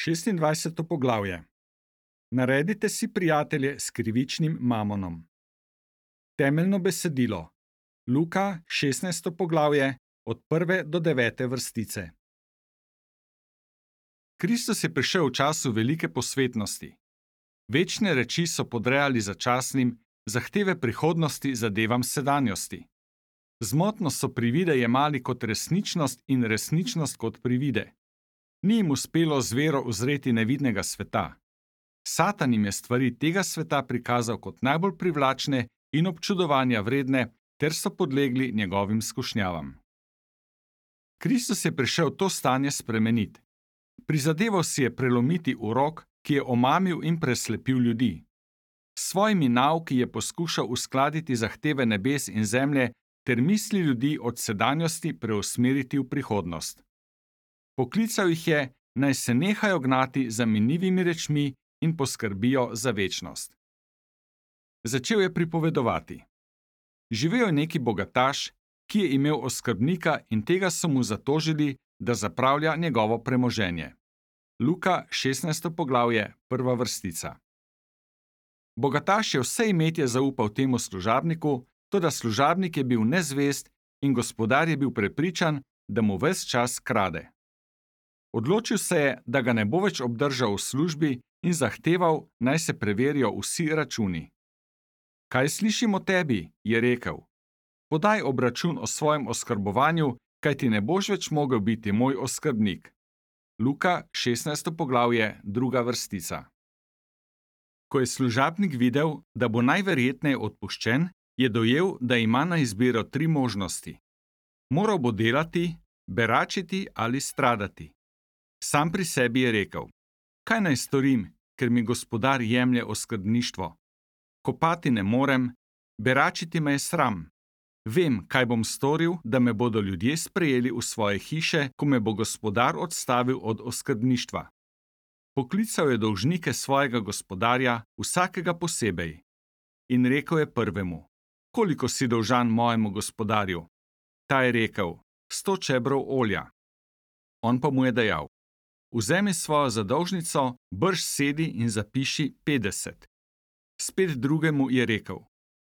26. poglavje. Naredite si prijatelje s krivičnim mamonom. Temeljno besedilo. Luka 16. poglavje od 1. do 9. vrstice. Kristus je prišel v času velike posvetnosti. Večne reči so podrejali začasnim, zahteve prihodnosti zadevam sedanjosti. Zmotno so privide jemali kot resničnost in resničnost kot privide. Ni jim uspelo z vero uzreti nevidnega sveta. Satan jim je stvari tega sveta prikazal kot najbolj privlačne in občudovanja vredne, ter so podlegli njegovim skušnjavam. Kristus je prišel to stanje spremeniti. Prizadeval si je prelomiti urok, ki je omamil in preslepil ljudi. S svojimi nauki je poskušal uskladiti zahteve nebes in zemlje ter misli ljudi od sedanjosti preusmeriti v prihodnost. Poklical jih je, naj se nehajo gnati za minljivimi rečmi in poskrbijo za večnost. Začel je pripovedovati. Živel je neki bogataš, ki je imel oskrbnika in tega so mu zatožili, da zapravlja njegovo premoženje. Luka 16. poglavje, 1. vrstica. Bogataš je vse imetje zaupal temu služabniku, toda služabnik je bil nezvest in gospodar je bil prepričan, da mu ves čas krade. Odločil se je, da ga ne bo več obdržal v službi in zahteval, naj se preverijo vsi računi. Kaj slišim o tebi, je rekel. Podaj obračun o svojem oskrbovanju, kajti ne boš več mogel biti moj oskrbnik. Luka 16. poglavje, 2. vrstica. Ko je služabnik videl, da bo najverjetneje odpuščen, je dojel, da ima na izbiro 3 možnosti. Moral bo delati, beračiti ali stradati. Sam pri sebi je rekel: kaj naj storim, ker mi gospodar jemlje oskrbništvo? Kopati ne morem, beračiti me je sram. Vem, kaj bom storil, da me bodo ljudje sprejeli v svoje hiše, ko me bo gospodar odstavil od oskrbništva. Poklical je dolžnike svojega gospodarja, vsakega posebej. In rekel je prvemu: koliko si dolžan mojemu gospodarju? Ta je rekel: 100 čebrov olja. On pa mu je dejal: vzemi svojo zadolžnico, brž sedi in zapiši 50. Spet drugemu je rekel: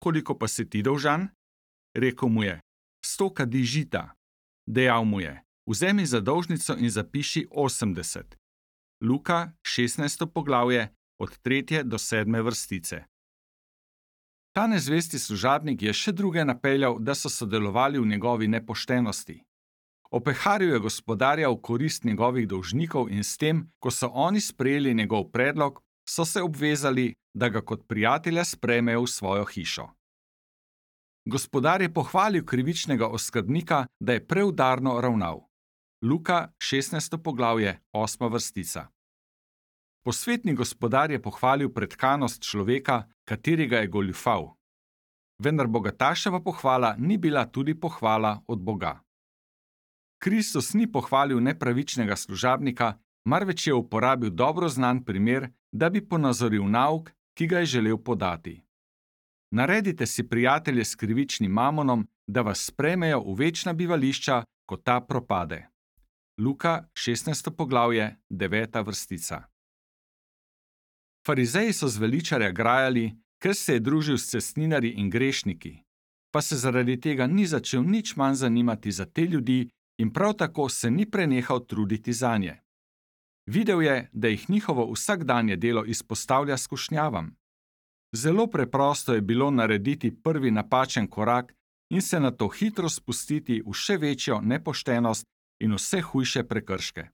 koliko pa si ti dolžan? Rekel mu je: 100 kadi žita. Dejal mu je: vzemi zadolžnico in zapiši 80. Luka 16. poglavje od 3. do 7. vrstice. Ta nezvesti služabnik je še druge napeljal, da so sodelovali v njegovi nepoštenosti. Opeharil je gospodarja v korist njegovih dolžnikov in s tem, ko so oni sprejeli njegov predlog, so se obvezali, da ga kot prijatelja sprejmejo v svojo hišo. Gospodar je pohvalil krivičnega oskrbnika, da je preudarno ravnal. Luka 16. poglavje, 8. vrstica. Posvetni gospodar je pohvalil pretkanost človeka, katerega je goljufal. Vendar bogataševa pohvala ni bila tudi pohvala od Boga. Kristus ni pohvalil nepravičnega služabnika, marveč je uporabil dobro znan primer, da bi ponazoril nauk, ki ga je želel podati. Naredite si prijatelje s krivičnim mamonom, da vas sprejmejo v večna bivališča, ko ta propade. Luka 16. poglavje, 9. vrstica. Farizeji so zveličarja grajali, ker se je družil s cestninarji in grešniki, pa se zaradi tega ni začel nič manj zanimati za te ljudi in prav tako se ni prenehal truditi zanje. Videl je, da jih njihovo vsakdanje delo izpostavlja skušnjavam. Zelo preprosto je bilo narediti prvi napačen korak in se nato hitro spustiti v še večjo nepoštenost in vse hujše prekrške.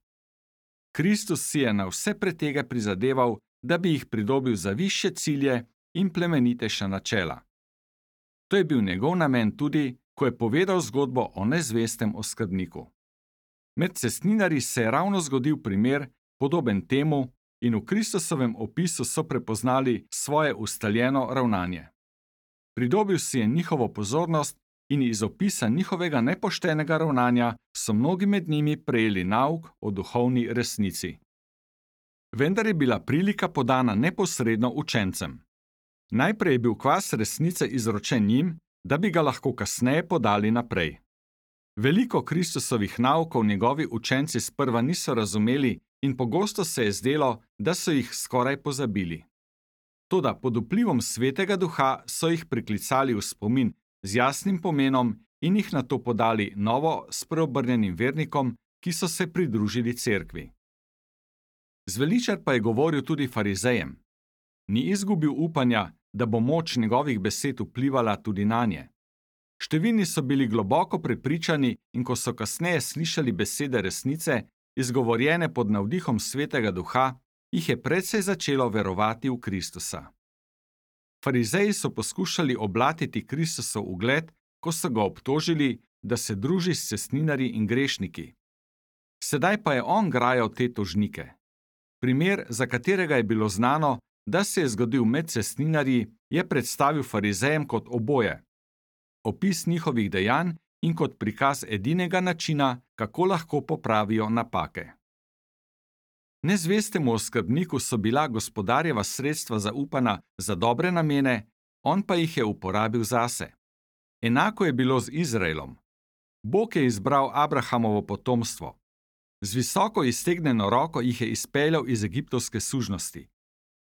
Kristus si je na vse pretege prizadeval, da bi jih pridobil za višje cilje in plemenitejša načela. To je bil njegov namen tudi, ko je povedal zgodbo o nezvestem oskrbniku. Med cestninarji se je ravno zgodil primer, podoben temu, in v Kristusovem opisu so prepoznali svoje ustaljeno ravnanje. Pridobil si je njihovo pozornost in iz opisa njihovega nepoštenega ravnanja so mnogi med njimi prejeli nauk o duhovni resnici. Vendar je bila prilika podana neposredno učencem. Najprej je bil kvas resnice izročen njim, da bi ga lahko kasneje podali naprej. Veliko Kristusovih naukov njegovi učenci sprva niso razumeli in pogosto se je zdelo, da so jih skoraj pozabili. Toda pod vplivom Svetega Duha so jih priklicali v spomin z jasnim pomenom in jih nato podali novo spreobrnjenim vernikom, ki so se pridružili cerkvi. Zveličar pa je govoril tudi farizejem. Ni izgubil upanja, da bo moč njegovih besed vplivala tudi nanje. Številni so bili globoko prepričani in ko so kasneje slišali besede resnice, izgovorjene pod navdihom Svetega Duha, jih je precej začelo verovati v Kristusa. Farizeji so poskušali oblatiti Kristusov ugled, ko so ga obtožili, da se druži s cestninarji in grešniki. Sedaj pa je on grajal te tožnike. Primer, za katerega je bilo znano, da se je zgodil med cestninarji, je predstavil farizejem kot oboje. Opis njihovih dejanj in kot prikaz edinega načina, kako lahko popravijo napake. Nezvestemu oskrbniku so bila gospodarjeva sredstva zaupana za dobre namene, on pa jih je uporabil zase. Enako je bilo z Izraelom. Bog je izbral Abrahamovo potomstvo. Z visoko iztegnjeno roko jih je izpeljal iz egiptovske sužnosti.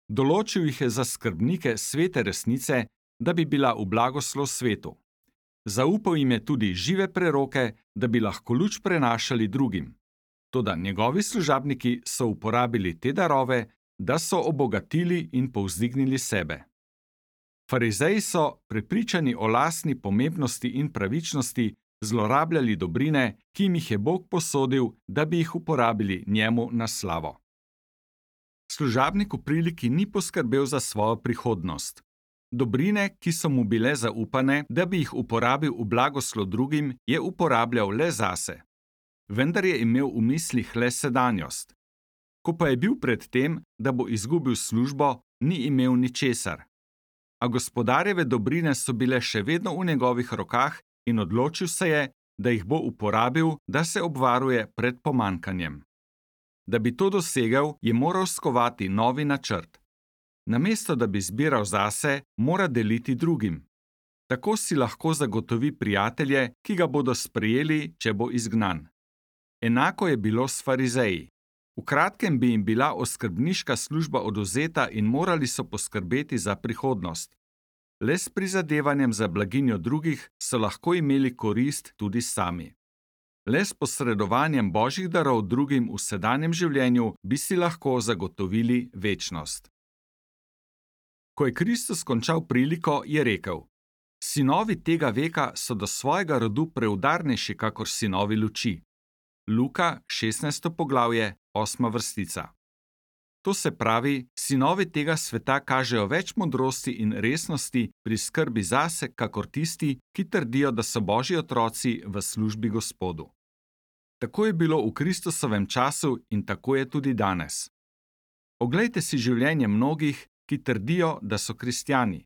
Določil jih je za skrbnike svete resnice, da bi bila v blagoslov svetu. Zaupal jim je tudi žive preroke, da bi lahko luč prenašali drugim. Toda njegovi služabniki so uporabili te darove, da so obogatili in povzdignili sebe. Farizeji so, prepričani o lastni pomembnosti in pravičnosti, zlorabljali dobrine, ki jim jih je Bog posodil, da bi jih uporabili njemu na slavo. Služabnik v priliki ni poskrbel za svojo prihodnost. Dobrine, ki so mu bile zaupane, da bi jih uporabil v blagoslov drugim, je uporabljal le zase. Vendar je imel v mislih le sedanjost. Ko pa je bil pred tem, da bo izgubil službo, ni imel ničesar. A gospodarjeve dobrine so bile še vedno v njegovih rokah in odločil se je, da jih bo uporabil, da se obvaruje pred pomanjkanjem. Da bi to dosegel, je moral skovati novi načrt. Namesto da bi zbiral zase, mora deliti drugim. Tako si lahko zagotovi prijatelje, ki ga bodo sprejeli, če bo izgnan. Enako je bilo s farizeji. V kratkem bi jim bila oskrbniška služba odvzeta in morali so poskrbeti za prihodnost. Le s prizadevanjem za blaginjo drugih so lahko imeli korist tudi sami. Le s posredovanjem božjih darov drugim v sedanjem življenju bi si lahko zagotovili večnost. Ko je Kristus končal priliko, je rekel: Sinovi tega veka so do svojega rodu preudarnejši kakor sinovi luči. Luka, 16. poglavje, 8. vrstica. To se pravi, sinovi tega sveta kažejo več modrosti in resnosti pri skrbi zase, kakor tisti, ki trdijo, da so božji otroci v službi Gospodu. Tako je bilo v Kristusovem času in tako je tudi danes. Oglejte si življenje mnogih, ki trdijo, da so kristjani.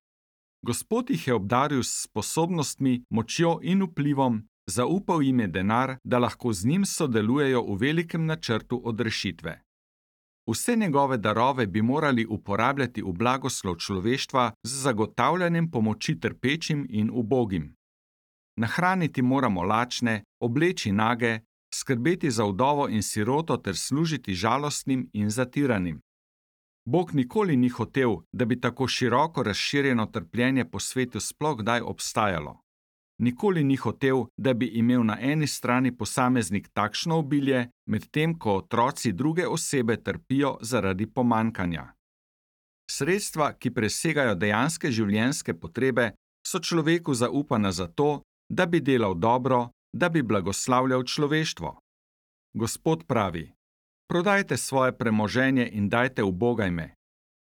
Gospod jih je obdaril s sposobnostmi, močjo in vplivom, zaupal jim je denar, da lahko z njim sodelujejo v velikem načrtu odrešitve. Vse njegove darove bi morali uporabljati v blagoslov človeštva z zagotavljanjem pomoči trpečim in ubogim. Nahraniti moramo lačne, obleči nage, skrbeti za vdovo in siroto ter služiti žalostnim in zatiranim. Bog nikoli ni hotel, da bi tako široko razširjeno trpljenje po svetu sploh kdaj obstajalo. Nikoli ni hotel, da bi imel na eni strani posameznik takšno obilje, medtem ko otroci druge osebe trpijo zaradi pomanjkanja. Sredstva, ki presegajo dejanske življenjske potrebe, so človeku zaupana zato, da bi delal dobro, da bi blagoslavljal človeštvo. Gospod pravi: Prodajte svoje premoženje in dajte ubogajme.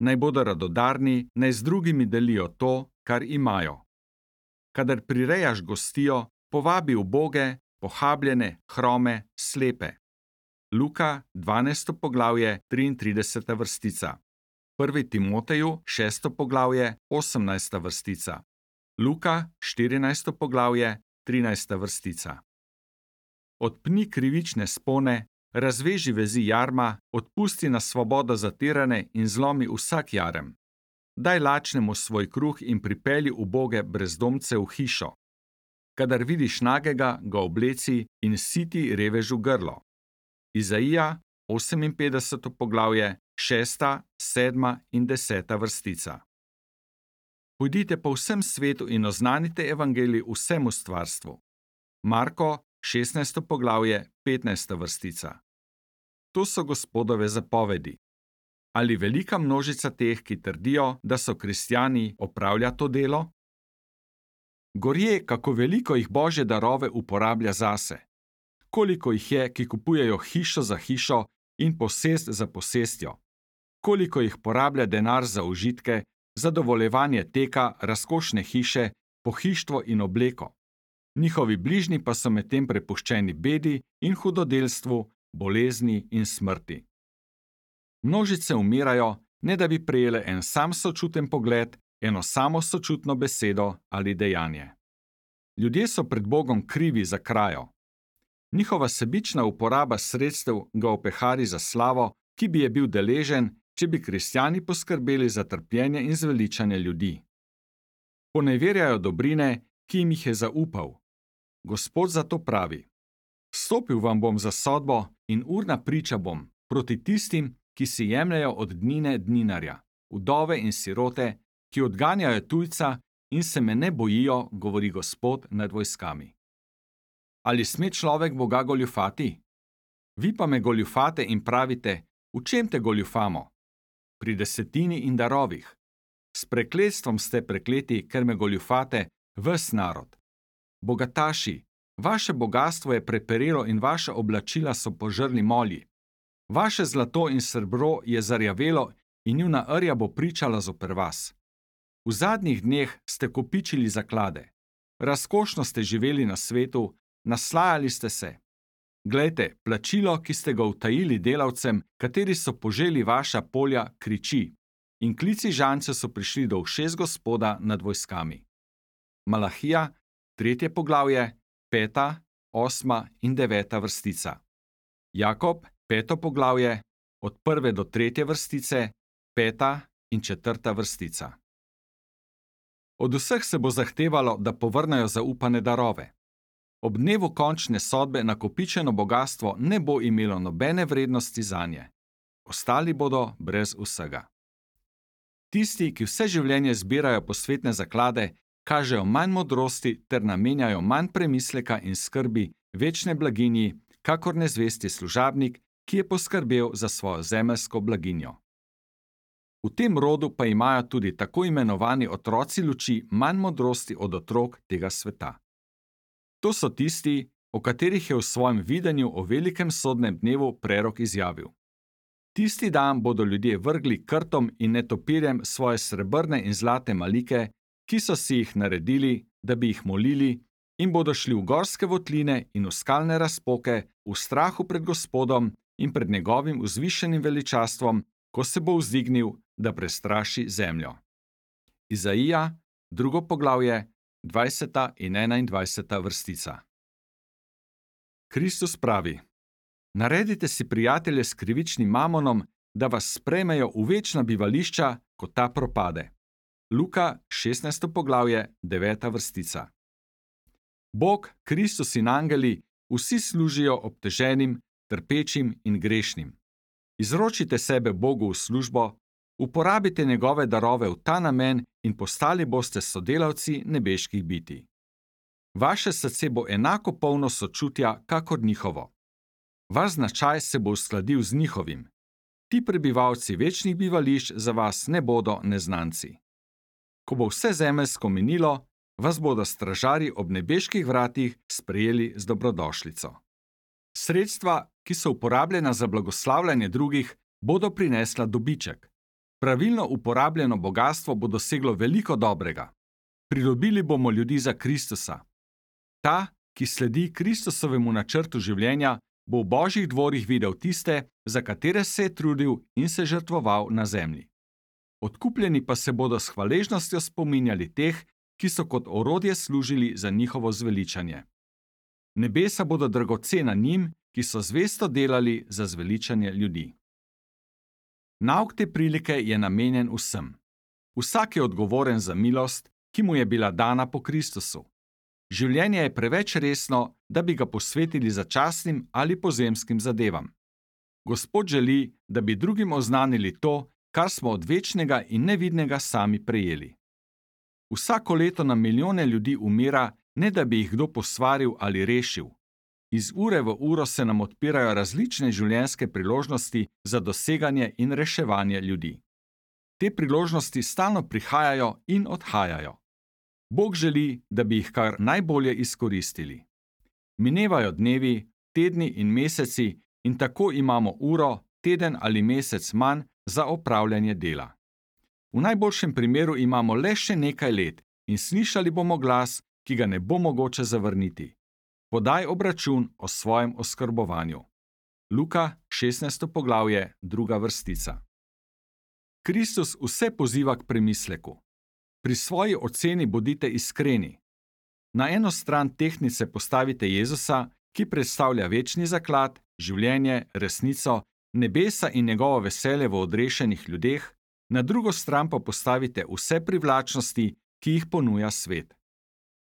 Naj bodo radodarni, naj z drugimi delijo to, kar imajo. Kadar prirejaš gostijo, povabi uboge, pohabljene, hrome, slepe. Luka, 12. poglavje, 33. vrstica. 1. Timoteju, 6. poglavje, 18. vrstica. Luka, 14. poglavje, 13. vrstica. Odpni krivične spone, razveži vezi jarma, odpusti na svobodo zatirane in zlomi vsak jarem. Daj lačnemu svoj kruh in pripelji uboge brezdomce v hišo. Kadar vidiš nagega, ga obleci in siti revežu grlo. Izaija, 58. poglavje, 6., 7. in 10. vrstica. Pojdite po vsem svetu in oznanite evangelij vsemu stvarstvu. Marko, 16. poglavje, 15. vrstica. To so Gospodove zapovedi. Ali velika množica teh, ki trdijo, da so kristjani, opravlja to delo? Gorje, kako veliko jih Božje darove uporablja zase. Koliko jih je, ki kupujejo hišo za hišo in posest za posestjo. Koliko jih porablja denar za užitke, zadovoljevanje teka, razkošne hiše, pohištvo in obleko. Njihovi bližnji pa so medtem prepuščeni bedi in hudodelstvu, bolezni in smrti. Množice umirajo, ne da bi prejele en sam sočuten pogled, eno samo sočutno besedo ali dejanje. Ljudje so pred Bogom krivi za krajo. Njihova sebična uporaba sredstev ga opehari za slavo, ki bi je bil deležen, če bi kristjani poskrbeli za trpljenje in zveličanje ljudi. Poneverjajo dobrine, ki jim jih je zaupal. Gospod zato pravi: Stopil vam bom za sodbo in urna priča bom proti tistim, ki si jemljajo od dnine dninarja, vdove in sirote, ki odganjajo tujca in se me ne bojijo, govori Gospod nad vojskami. Ali sme človek Boga goljufati? Vi pa me goljufate in pravite: v čem te goljufamo? Pri desetini in darovih. S prekletstvom ste prekleti, ker me goljufate, ves narod. Bogataši, vaše bogastvo je preperelo in vaša oblačila so požrli molji. Vaše zlato in srebro je zarjavelo in njuna rja bo pričala zoper vas. V zadnjih dneh ste kopičili zaklade. Razkošno ste živeli na svetu, naslajali ste se. Glejte, plačilo, ki ste ga utajili delavcem, kateri so poželi vaša polja, kriči, in klici žancev so prišli do ušes Gospoda nad vojskami. Malahija, 3. poglavje, 5., 8. in 9. vrstica. Jakob, 5. poglavje, od 1. do 3. vrstice, 5. in 4. vrstica. Od vseh se bo zahtevalo, da povrnejo zaupane darove. Ob dnevu končne sodbe nakopičeno bogastvo ne bo imelo nobene vrednosti zanje. Ostali bodo brez vsega. Tisti, ki vse življenje zbirajo posvetne zaklade, kažejo manj modrosti ter namenjajo manj premisleka in skrbi večne blaginji, kakor nezvesti služabnik, ki je poskrbel za svojo zemeljsko blaginjo. V tem rodu pa imajo tudi tako imenovani otroci luči manj modrosti od otrok tega sveta. To so tisti, o katerih je v svojem videnju o velikem sodnem dnevu prerok izjavil. Tisti dan bodo ljudje vrgli krtom in netopirjem svoje srebrne in zlate malike, ki so si jih naredili, da bi jih molili, in bodo šli v gorske votline in v skalne razpoke v strahu pred Gospodom in pred njegovim vzvišenim veličastvom, ko se bo vzdignil, da prestraši zemljo. Izaija, 2. poglavje, 20. in 21. vrstica. Kristus pravi: Naredite si prijatelje s krivičnim mamonom, da vas sprejmejo v večna bivališča, ko ta propade. Luka, 16. poglavje, 9. vrstica. Bog, Kristus in angeli, vsi služijo obteženim, trpečim in grešnim. Izročite sebe Bogu v službo, uporabite njegove darove v ta namen in postali boste sodelavci nebeških bitij. Vaše srce bo enako polno sočutja, kakor njihovo. Vaš značaj se bo uskladil z njihovim. Ti prebivalci večnih bivališč za vas ne bodo neznanci. Ko bo vse zemeljsko minilo, vas bodo stražarji ob nebeških vratih sprejeli z dobrodošlico. Sredstva, ki so uporabljena za blagoslavljanje drugih, bodo prinesla dobiček. Pravilno uporabljeno bogastvo bo doseglo veliko dobrega. Pridobili bomo ljudi za Kristusa. Ta, ki sledi Kristusovemu načrtu življenja, bo v Božjih dvorih videl tiste, za katere se je trudil in se žrtvoval na zemlji. Odkupljeni pa se bodo s hvaležnostjo spominjali teh, ki so kot orodje služili za njihovo zveličanje. Nebesa bodo dragocena njim, ki so zvesto delali za zveličanje ljudi. Nauk te prilike je namenjen vsem. Vsak je odgovoren za milost, ki mu je bila dana po Kristusu. Življenje je preveč resno, da bi ga posvetili začasnim ali pozemskim zadevam. Gospod želi, da bi drugim oznanili to, kar smo od večnega in nevidnega sami prejeli. Vsako leto na milijone ljudi umira, ne da bi jih kdo posvaril ali rešil. Iz ure v uro se nam odpirajo različne življenjske priložnosti za doseganje in reševanje ljudi. Te priložnosti stalno prihajajo in odhajajo. Bog želi, da bi jih kar najbolje izkoristili. Minevajo dnevi, tedni in meseci in tako imamo uro, teden ali mesec manj za opravljanje dela. V najboljšem primeru imamo le še nekaj let in slišali bomo glas, ki ga ne bo mogoče zavrniti. Podaj obračun o svojem oskrbovanju. Luka, 16. poglavje, 2. vrstica. Kristus vse poziva k premisleku. Pri svoji oceni bodite iskreni. Na eno stran tehtnice postavite Jezusa, ki predstavlja večni zaklad, življenje, resnico, nebesa in njegovo veselje v odrešenih ljudeh, na drugo stran pa postavite vse privlačnosti, ki jih ponuja svet.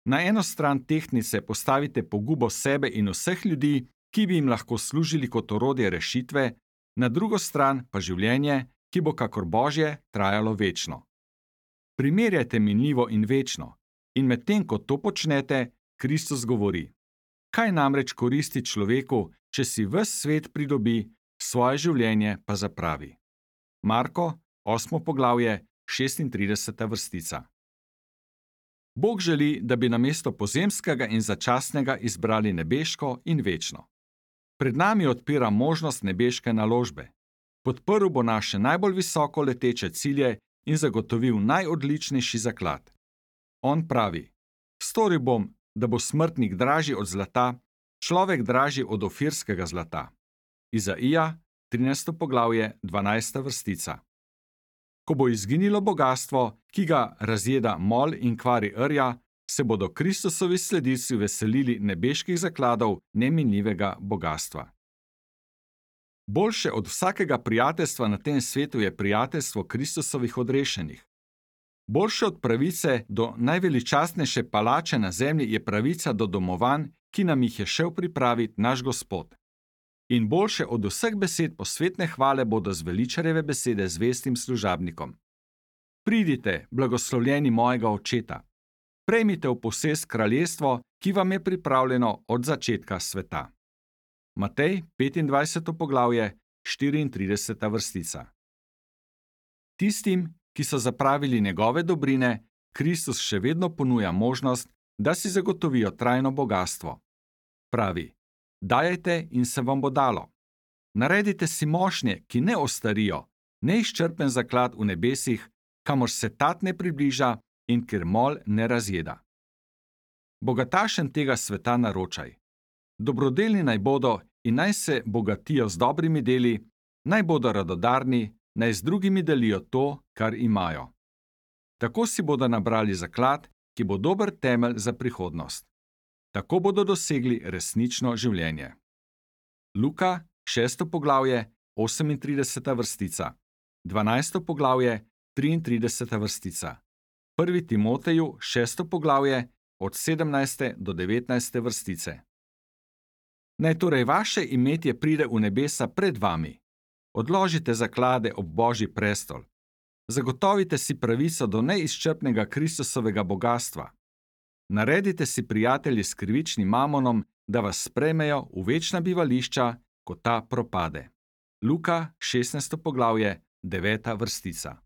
Na eno stran tehtnice postavite pogubo sebe in vseh ljudi, ki bi jim lahko služili kot orodje rešitve, na drugo stran pa življenje, ki bo kakor Božje trajalo večno. Primerjajte minljivo in večno, in medtem ko to počnete, Kristus govori: kaj namreč koristi človeku, če si ves svet pridobi, svoje življenje pa zapravi? Marko, 8. poglavje, 36. vrstica. Bog želi, da bi namesto pozemskega in začasnega izbrali nebeško in večno. Pred nami odpira možnost nebeške naložbe. Podprl bo naše najbolj visoko leteče cilje in zagotovil najodličnejši zaklad. On pravi: storil bom, da bo smrtnik dražji od zlata, človek dražji od ofirskega zlata. Izaija, 13. poglavje, 12. vrstica. Ko bo izginilo bogastvo, ki ga razjeda mol in kvari rja, se bodo Kristusovi sledilci veselili nebeških zakladov neminljivega bogastva. Boljše od vsakega prijateljstva na tem svetu je prijateljstvo Kristusovih odrešenih. Boljše od pravice do najveličastnejše palače na zemlji je pravica do domovanj, ki nam jih je šel pripraviti naš Gospod. In boljše od vseh besed posvetne hvale bodo zveličarjeve besede zvestim služabnikom. Pridite, blagoslovljeni mojega očeta. Prejmite v posest kraljestvo, ki vam je pripravljeno od začetka sveta. Matej, 25. poglavje, 34. vrstica. Tistim, ki so zapravili njegove dobrine, Kristus še vedno ponuja možnost, da si zagotovijo trajno bogastvo. Pravi: dajajte in se vam bo dalo. Naredite si mošnje, ki ne ostarijo, neizčrpen zaklad v nebesih, kamor se tat ne približa in kjer mol ne razjeda. Bogatašem tega sveta naročaj: dobrodelni naj bodo in naj se bogatijo z dobrimi deli, naj bodo radodarni, naj z drugimi delijo to, kar imajo. Tako si bodo nabrali zaklad, ki bo dober temelj za prihodnost. Tako bodo dosegli resnično življenje. Luka, 6. poglavje, 38. vrstica, 12. poglavje, 33. vrstica, 1. Timoteju, 6. poglavje, od 17. do 19. vrstice. Naj torej vaše imetje pride v nebesa pred vami. Odložite zaklade ob Božji prestol. Zagotovite si pravico do neizčrpnega Kristusovega bogastva. Naredite si prijatelji s krivičnim mamonom, da vas sprejmejo v večna bivališča, ko ta propade. Luka, 16. poglavje, 9. vrstica.